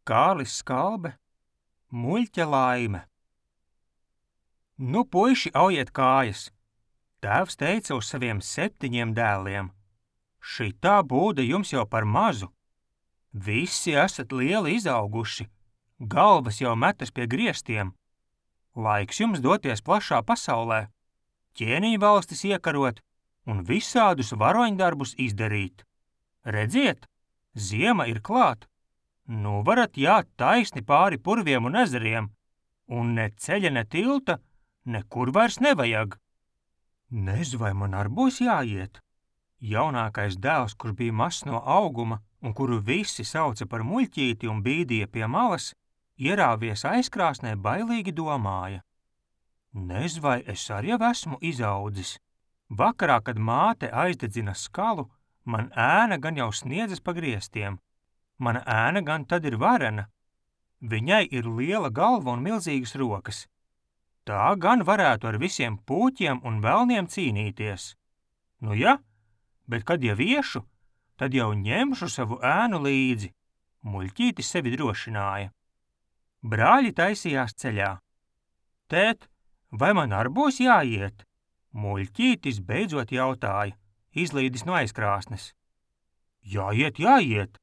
Kārlis Skalbe, Muļķa laime. Nu, puiši, aujiet kājas! Tēvs teica uz saviem 7 dēliem: šitā būda jums jau par mazu. Visi esat lieli izauguši, galvas jau metas pie griestiem. Laiks jums doties plašā pasaulē, ķēniņu valstis iekarot un visādus varoņdarbus izdarīt. Redziet, ziema ir klāt. Nu varat jāt taisni pāri purviem un ezeriem, un ne ceļa, ne tilta nekur vairs nevajag. Nezinu, vai man ar būs jāiet. Jaunākais dēls, kurš bija mazs no auguma un kuru visi sauca par muļķīti un bīdīja pie malas, ierāvies aizkrāsnē bailīgi domāja. Nezinu, vai es arī jau esmu izaudzis. Vakarā, kad māte aizdedzina skalu, man ēna gan jau sniedzas pa griestiem. Mana ēna gan tad ir varena. Viņai ir liela galva un milzīgas rokas. Tā gan varētu ar visiem pūķiem un velniem cīnīties. Nu ja, bet kad jau iešu, tad jau ņemšu savu ēnu līdzi. Muļķītis sevi drošināja. Brāļi taisījās ceļā. Tēt, vai man ar būs jāiet? Muļķītis beidzot jautāja, izlīdis no aizkrāsnes. Jāiet, jāiet!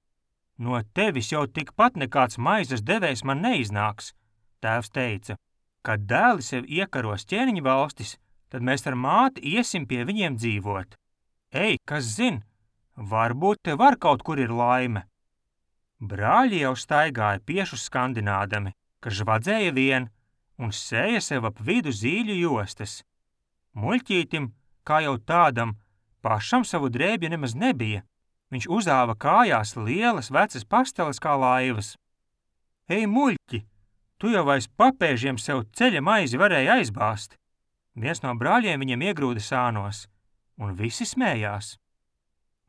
No tevis jau tikpat nekāds maizes devējs man neiznāks, tēvs teica. Kad dēli sev iekaros ķēniņu valstis, tad mēs ar māti iesim pie viņiem dzīvot. Ej, kas zin, varbūt te var kaut kur ir laime. Brāļi jau staigāja piešus skandinādami, ka žvadzēja vien un sēja sev ap vidu zīļu jostas. Muļķītim, kā jau tādam, pašam savu drēbju nemaz nebija. Viņš uzāva kājās lielas vecas pasteles kā laivas. Ej, muļķi, tu jau aiz papēžiem sev ceļa maizi varēja aizbāzt. Viens no brāļiem viņam iegrūda sānos, un visi smējās.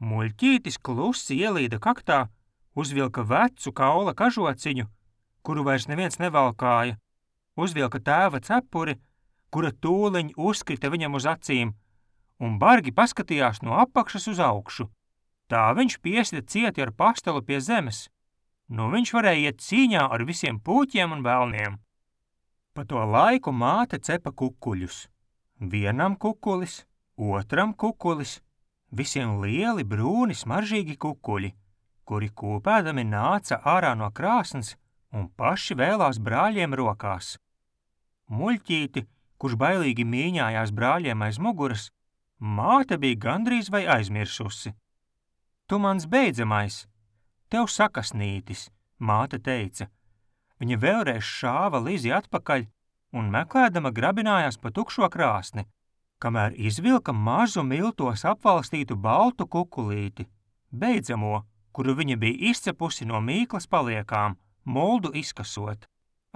Muļķītis klusi ielīda kaktā, uzvilka vecu kaula kažociņu, kuru vairs neviens nevalkāja, uzvilka tēva cepuri, kura tūliņ uzkrita viņam uz acīm, un bargi paskatījās no apakšas uz augšu. Tā viņš piesita cieti ar pastelu pie zemes. Nu viņš varēja iet cīņā ar visiem pūķiem un velniem. Pa to laiku māte cepa kukuļus. Vienam kukulis, otram kukulis, visiem lieli, brūni, smaržīgi kukuļi, kuri kūpēdami nāca ārā no krāsnes un paši vēlās brāļiem rokās. Muļķīti, kurš bailīgi mīņājās brāļiem aiz muguras, māte bija gandrīz vai aizmirsusi. Tu mans beidzamais, tev sakasnītis, māte teica. Viņa vēlreiz šāva Lizi atpakaļ un meklēdama grabinājās pa tukšo krāsni, kamēr izvilka mazu miltos apvalstītu baltu kukulīti, beidzamo, kuru viņa bija izcepusi no mīklas paliekām, muldu izkasot.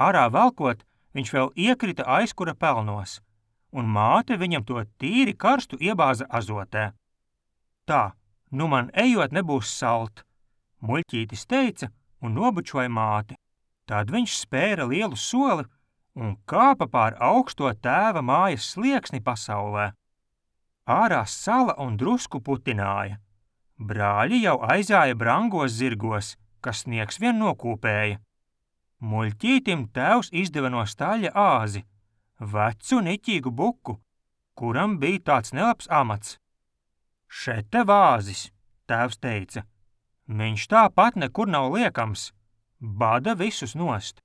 Ārā velkot, viņš vēl iekrita aizkura pelnos, un māte viņam to tīri karstu iebāza azotē. Tā. Nu man ejot nebūs salt, muļķītis teica un nobučoja māti. Tad viņš spēra lielu soli un kāpa pār augsto tēva mājas slieksni pasaulē. Ārā sala un drusku putināja. Brāļi jau aizāja brangos zirgos, kas sniegs vien nokūpēja. Muļķītim tēvs izdeva no staļa āzi, vecu niķīgu buku, kuram bija tāds nelabs amats. Šete vāzis, tēvs teica. Viņš tāpat nekur nav liekams, bada visus nost.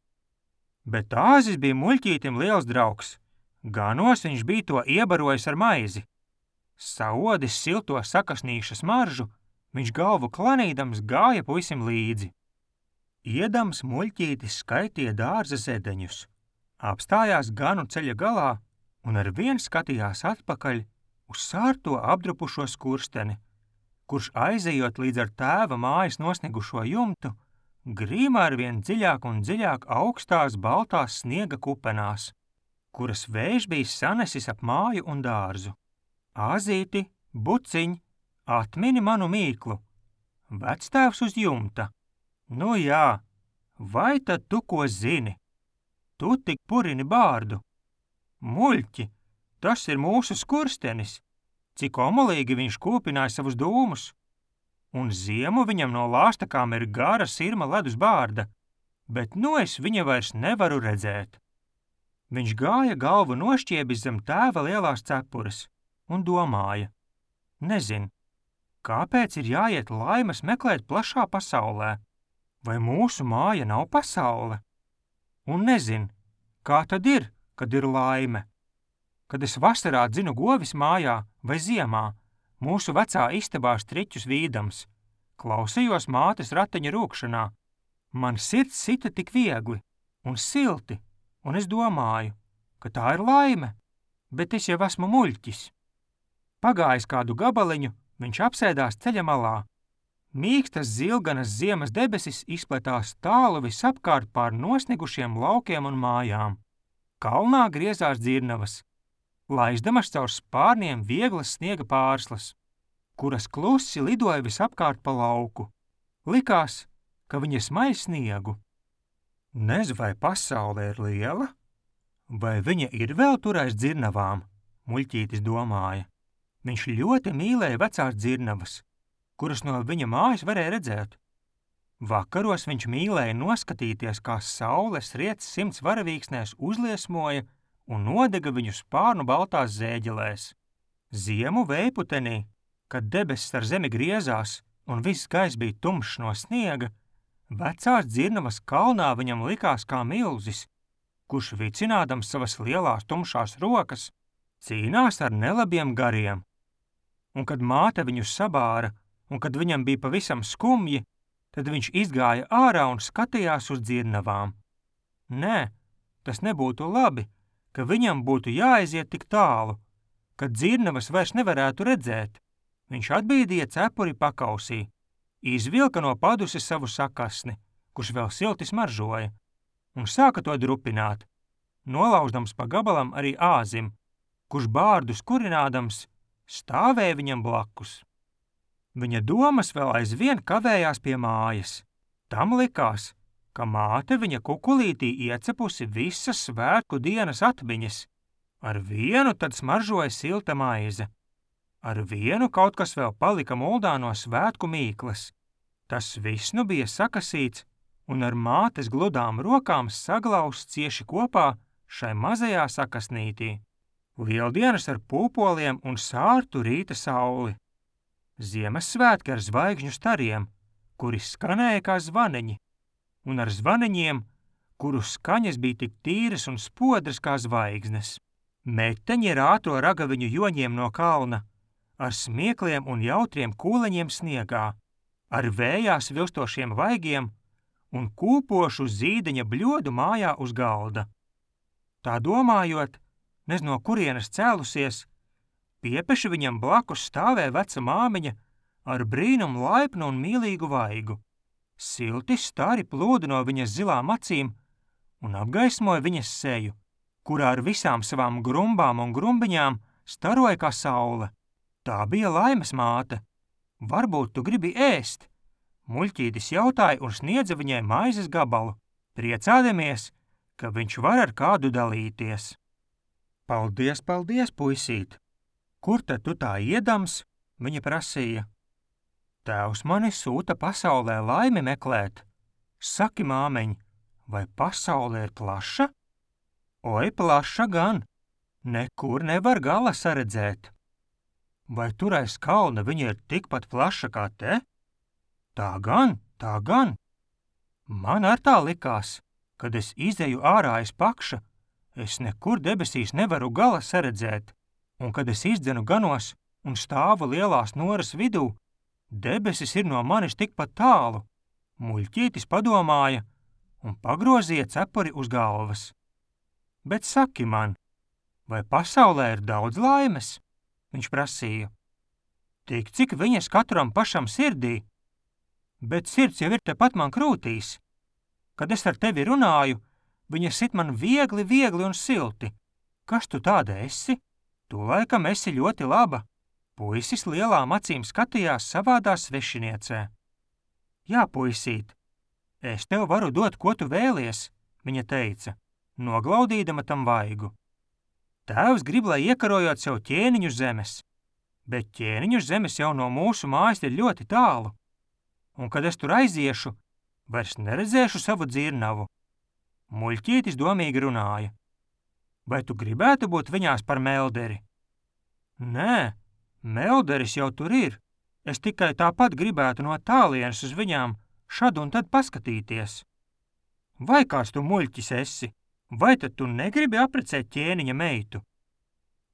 Bet āzis bija muļķītim liels draugs, ganos viņš bija to iebarojis ar maizi. Saodis silto sakasnīša smaržu, viņš galvu klanīdams gāja puisim līdzi. Iedams muļķītis skaitīja dārza zedeņus, apstājās ganu ceļa galā un ar vien skatījās atpakaļ uz sārto apdrupušo skursteni, kurš aizejot līdz ar tēva mājas nosnigušo jumtu, grīmā ar vien dziļāk un dziļāk augstās baltās sniega kupenās, kuras vējš bija sanesis ap māju un dārzu. Āzīti, buciņ, atmini manu mīklu. Vectēvs uz jumta. Nu jā, vai tad tu ko zini? Tu tik purini bārdu. Muļķi, tas ir mūsu skurstenis, cik omulīgi viņš kūpināja savus dūmus. Un ziemu viņam no lāstakām ir gara sirma ledus bārda, bet nu es viņa vairs nevaru redzēt. Viņš gāja galvu nošķiebis zem tēva lielās cepures un domāja, nezin, kāpēc ir jāiet laimes meklēt plašā pasaulē, vai mūsu māja nav pasaule? Un nezin, kā tad ir, kad ir laime? Kad es vasarā dzinu govis mājā vai ziemā, mūsu vecā istabā striķus vīdams, klausījos mātes rateņa rūkšanā, man sirds sita tik viegli un silti, un es domāju, ka tā ir laime, bet es jau esmu muļķis. Pagājis kādu gabaliņu, viņš apsēdās ceļa malā. Mīkstas zilganas ziemas debesis izpletās tālu visapkārt pār nosnigušiem laukiem un mājām. Kalnā griezās dzirnavas, laizdamas caur spārniem vieglas sniega pārslas, kuras klusi lidoja visapkārt pa lauku. Likās, ka viņa smaļ sniegu. Nezinu, vai pasaule ir liela, vai viņa ir vēl tur aiz dzirnavām, muļķītis domāja. Viņš ļoti mīlēja vecās dzirnavas, kuras no viņa mājas varēja redzēt. Vakaros viņš mīlēja noskatīties, kā saules riets 100 varavīksnēs uzliesmoja un nodega viņu spārnu baltās zēģelēs. Ziemu vējputenī, kad debesis ar zemi griezās un viss gaiss bija tumšs no sniega, vecās dzirnavas kalnā viņam likās kā milzis, kurš vicinādams savas lielās tumšās rokas, cīnās ar nelabiem gariem. Un kad māte viņu sabāra, un kad viņam bija pavisam skumji, tad viņš izgāja ārā un skatījās uz dzirnavām. Nē, tas nebūtu labi, ka viņam būtu jāaiziet tik tālu, kad dzirnavas vairs nevarētu redzēt. Viņš atbīdīja cepuri pakausī, izvilka no paduses savu sakasni, kurš vēl silti smaržoja, un sāka to drupināt, nolauždams pa gabalam arī āzim, kurš bārdus kurinādams stāvēja viņam blakus. Viņa domas vēl aizvien kavējās pie mājas. Tam likās, ka māte viņa kukulītī iecepusi visas svētku dienas atmiņas. Ar vienu tad smaržoja silta maize. Ar vienu kaut kas vēl palika muldā no svētku mīklas. Tas viss nu bija sakasīts un ar mātes gludām rokām saglausts cieši kopā šai mazajā sakasnītī. Lieldienas ar pūpoliem un sārtu rīta sauli. Ziemassvētki ar zvaigžņu stariem, kuri skanēja kā zvaniņi, un ar zvaniņiem, kuru skaņas bija tik tīras un spodras kā zvaigznes. Meteņi rāto ragaviņu joņiem no kalna, ar smiekliem un jautriem kūleņiem sniegā, ar vējā svilstošiem vaigiem un kūpošu zīdeņa bļodu mājā uz galda. Tā domājot, nez no kurienes cēlusies, piepeši viņam blakus stāvēja veca māmiņa ar brīnumu laipnu un mīlīgu vaigu. Silti stari plūda no viņas zilām acīm un apgaismoja viņas seju, kurā ar visām savām grumbām un grumbiņām staroja kā saule. Tā bija laimes māte. Varbūt tu gribi ēst? Muļķītis jautāja un sniedza viņai maizes gabalu, priecādamies, ka viņš var ar kādu dalīties. Paldies, paldies, puisīt! Kur tad tu tā iedams? Viņa prasīja. Tēvs mani sūta pasaulē laimi meklēt. Saki, māmeņ, vai pasaule ir plaša? Oi, plaša gan. Nekur nevar gala saredzēt. Vai tur aiz kalna viņa ir tikpat plaša kā te? Tā gan, tā gan. Man ar tā likās, kad es izeju ārā aiz pakša, es nekur debesīs nevaru gala saredzēt, un kad es izdzenu ganos un stāvu lielās noras vidū, debesis ir no manis tikpat tālu. Muļķītis padomāja un pagrozīja cepuri uz galvas. Bet saki man, vai pasaulē ir daudz laimes? Viņš prasīja. Tik, cik viņas katram pašam sirdī. Bet sirds jau ir tepat man krūtīs. Kad es ar tevi runāju, viņa sit man viegli un silti. Kas tu tāda esi? Tu laikam esi ļoti laba. Puisis lielām acīm skatījās savādā svešiniecē. Jā, puisīt, es tev varu dot, ko tu vēlies, viņa teica, noglaudīdama tam vaigu. Tēvs grib, lai iekarojot sev ķēniņu zemes, bet ķēniņu zemes jau no mūsu mājas ir ļoti tālu. Un kad es tur aiziešu, Vairs neredzēšu savu dzirnavu. Muļķītis domīgi runāja. Vai tu gribētu būt viņās par melderi? Nē, melderis jau tur ir. Es tikai tāpat gribētu no tālienes uz viņām šad un tad paskatīties. Vai kāds tu muļķis esi? Vai tad tu negribi apprecēt ķēniņa meitu?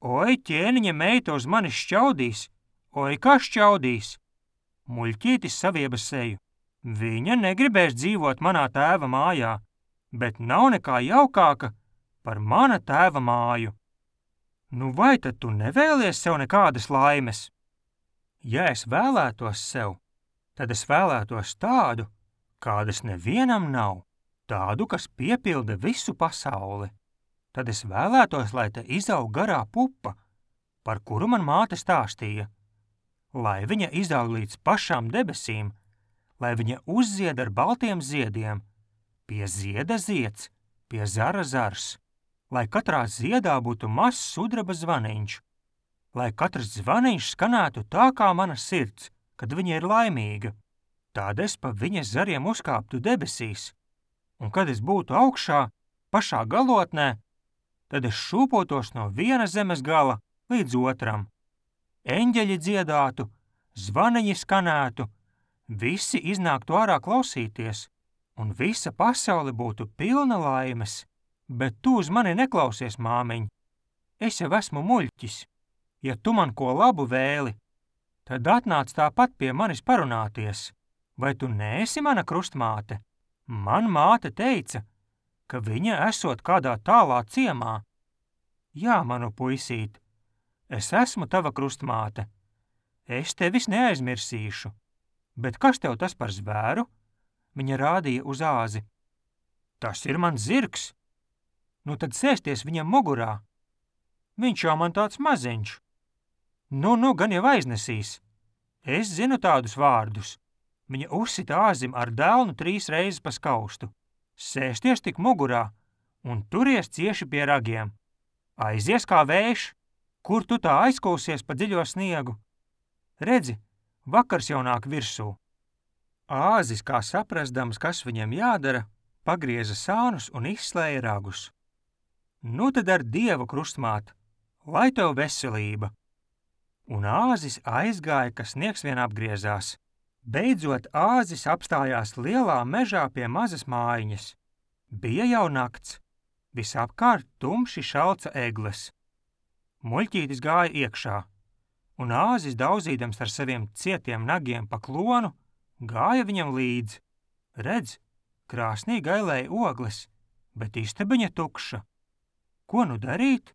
Oi, ķēniņa meita uz mani šķaudīs! Oi, kā šķaudīs! Muļķītis savieba seju. Viņa negribēs dzīvot manā tēva mājā, bet nav nekā jaukāka par mana tēva māju. Nu vai tad tu nevēlies sev nekādas laimes? Ja es vēlētos sev, tad es vēlētos tādu, kādas nevienam nav, tādu, kas piepilda visu pasauli. Tad es vēlētos, lai te izaug garā pupa, par kuru man māte stāstīja, lai viņa izaug līdz pašām debesīm, lai viņa uzzied ar baltiem ziediem, pie zieda zieds, pie zara zars, lai katrā ziedā būtu mazs sudraba zvaniņš, lai katrs zvaniņš skanētu tā kā mana sirds, kad viņa ir laimīga. Tad es pa viņas zariem uzkāptu debesīs, un kad es būtu augšā, pašā galotnē, tad es šūpotos no viena zemes gala līdz otram. Eņģeļi dziedātu, zvaniņi skanētu, visi iznāktu ārā klausīties, un visa pasaule būtu pilna laimes. Bet tu uz mani neklausies, māmiņ. Es jau esmu muļķis. Ja tu man ko labu vēli, tad atnāc tāpat pie manis parunāties. Vai tu neesi mana krustmāte? Man māte teica, ka viņa esot kādā tālā ciemā. Jā, manu puisīt, es esmu tava krustmāte. Es tevis neaizmirsīšu. Bet kas tev tas par zvēru? Viņa rādīja uz āzi. Tas ir mans zirgs. Nu tad sēsties viņam mugurā. Viņš jau man tāds maziņš. Nu, gan jau aiznesīs. Es zinu tādus vārdus. Viņa uzsita āzim ar delnu 3 reizes pa skaustu. Sēsties tik mugurā un turies cieši pie ragiem. Aizies kā vējš, kur tu tā aizkūsies pa dziļo sniegu. Redzi, vakars jau nāk virsū. Āzis, kā saprasdams, kas viņam jādara, pagrieza sānus un izslēja ragus. Nu tad ar Dievu, krustmāt, lai tev veselība. Un āzis aizgāja, ka sniegs vien apgriezās. Beidzot āzis apstājās lielā mežā pie mazas mājiņas. Bija jau nakts. Visapkārt tumši šalca egles. Muļķītis gāja iekšā, un āzis daudzīdams ar saviem cietiem nagiem pa klonu, gāja viņam līdzi. Redz, krāsnī gailēja ogles, bet istabiņa tukša. Ko nu darīt?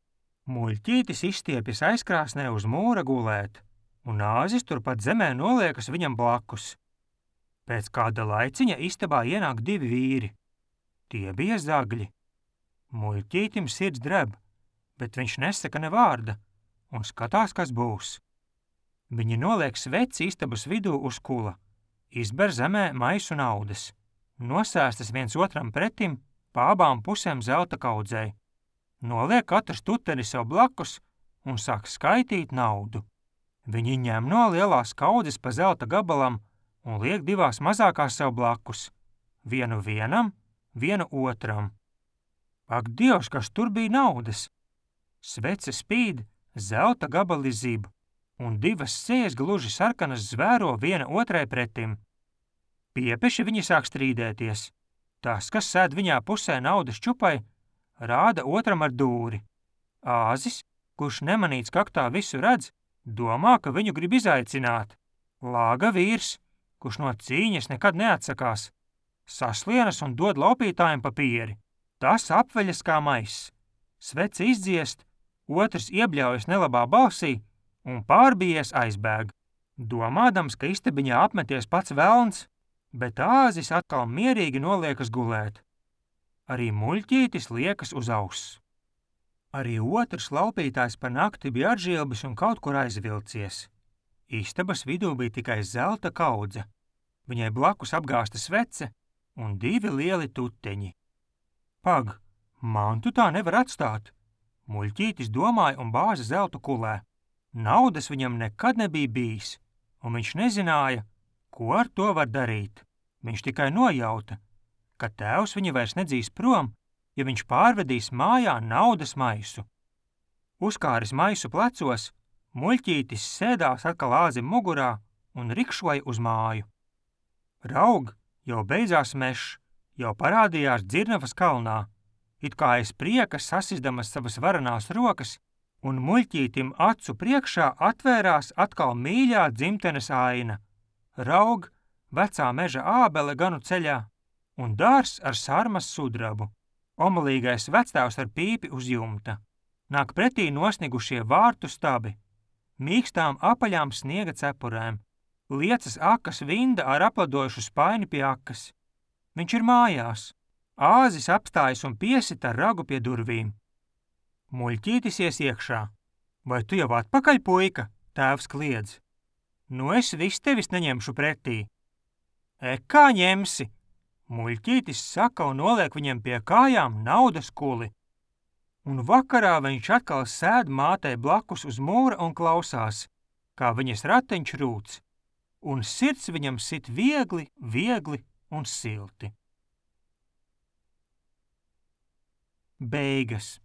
Muļķītis izstiepjas aizkrāsnē uz mūra gulēt, un āzis turpat zemē noliekas viņam blakus. Pēc kāda laiciņa istabā ienāk 2 vīri. Tie bija zagļi. Muļķītim sirds dreb, bet viņš nesaka ne vārda un skatās, kas būs. Viņi noliek sveci istabas vidū uz kula, izber zemē maisu naudas, nosēstas viens otram pretim pa abām pusēm zelta kaudzei. Noliek katrs tuteri sev blakus un sāk skaitīt naudu. Viņi ņem no lielās kaudzes pa zelta gabalam un liek 2 mazākās sev blakus. Vienu vienam, vienu otram. Ak, Dievs, kas tur bija naudas! Svece spīd, zelta gabali zib, un 2 sēs gluži sarkanas zvēro viena otrai pretim. Piepeši viņi sāk strīdēties. Tas, kas sēd viņā pusē naudas čupai, rāda otram ar dūri. Āzis, kurš nemanīts kaktā visu redz, domā, ka viņu grib izaicināt. Lāga vīrs, kurš no cīņas nekad neatsakās, saslienas un dod laupītājiem pa pieri. Tas apveļas kā maiss. Svece izdziest, otrs iebļaujas nelabā balsī un pārbijies aizbēg. Domādams, ka istabiņā apmeties pats velns, bet āzis atkal mierīgi noliekas gulēt. Arī muļķītis liekas uz auss. Arī otrs laupītājs pa nakti bija atžilbis un kaut kur aizvilcies. Istabas vidū bija tikai zelta kaudze. Viņai blakus apgāsta svece un 2 lieli tuteņi. Pag, man tu tā nevar atstāt. Muļķītis domāja un bāza zeltu kulē. Naudas viņam nekad nebija bijis, un viņš nezināja, ko ar to var darīt. Viņš tikai nojauta, ka tēvs viņu vairs nedzīs prom, ja viņš pārvedīs mājā naudas maisu. Uzkāris maisu plecos, muļķītis sēdās atkal āzim mugurā un rikšoja uz māju. Raug, jau beidzās mežs, jau parādījās Dzirnavas kalnā, it kā aiz prieka sasizdamas savas varanās rokas, un muļķītim acu priekšā atvērās atkal mīļā dzimtenes aina. Raug, vecā meža ābele ganu ceļā, un dārs ar sarmas sudrabu, omalīgais vectēvs ar pīpi uz jumta. Nāk pretī nosnigušie vārtu stabi, mīkstām apaļām sniega cepurēm, liecas akas vinda ar apladojušu spaini pie akas. Viņš ir mājās, āzis apstājas un piesita ragu pie durvīm. Muļķītis ies iekšā. Vai tu jau atpakaļ, puika? Tēvs kliedz. Nu es vis tevis neņemšu pretī. Kā ņemsi? Muļķītis saka un noliek viņam pie kājām naudas kuli. Un vakarā viņš atkal sēd mātei blakus uz mūra un klausās, kā viņas rateņš rūc, un sirds viņam sit viegli, viegli un silti. Beigas.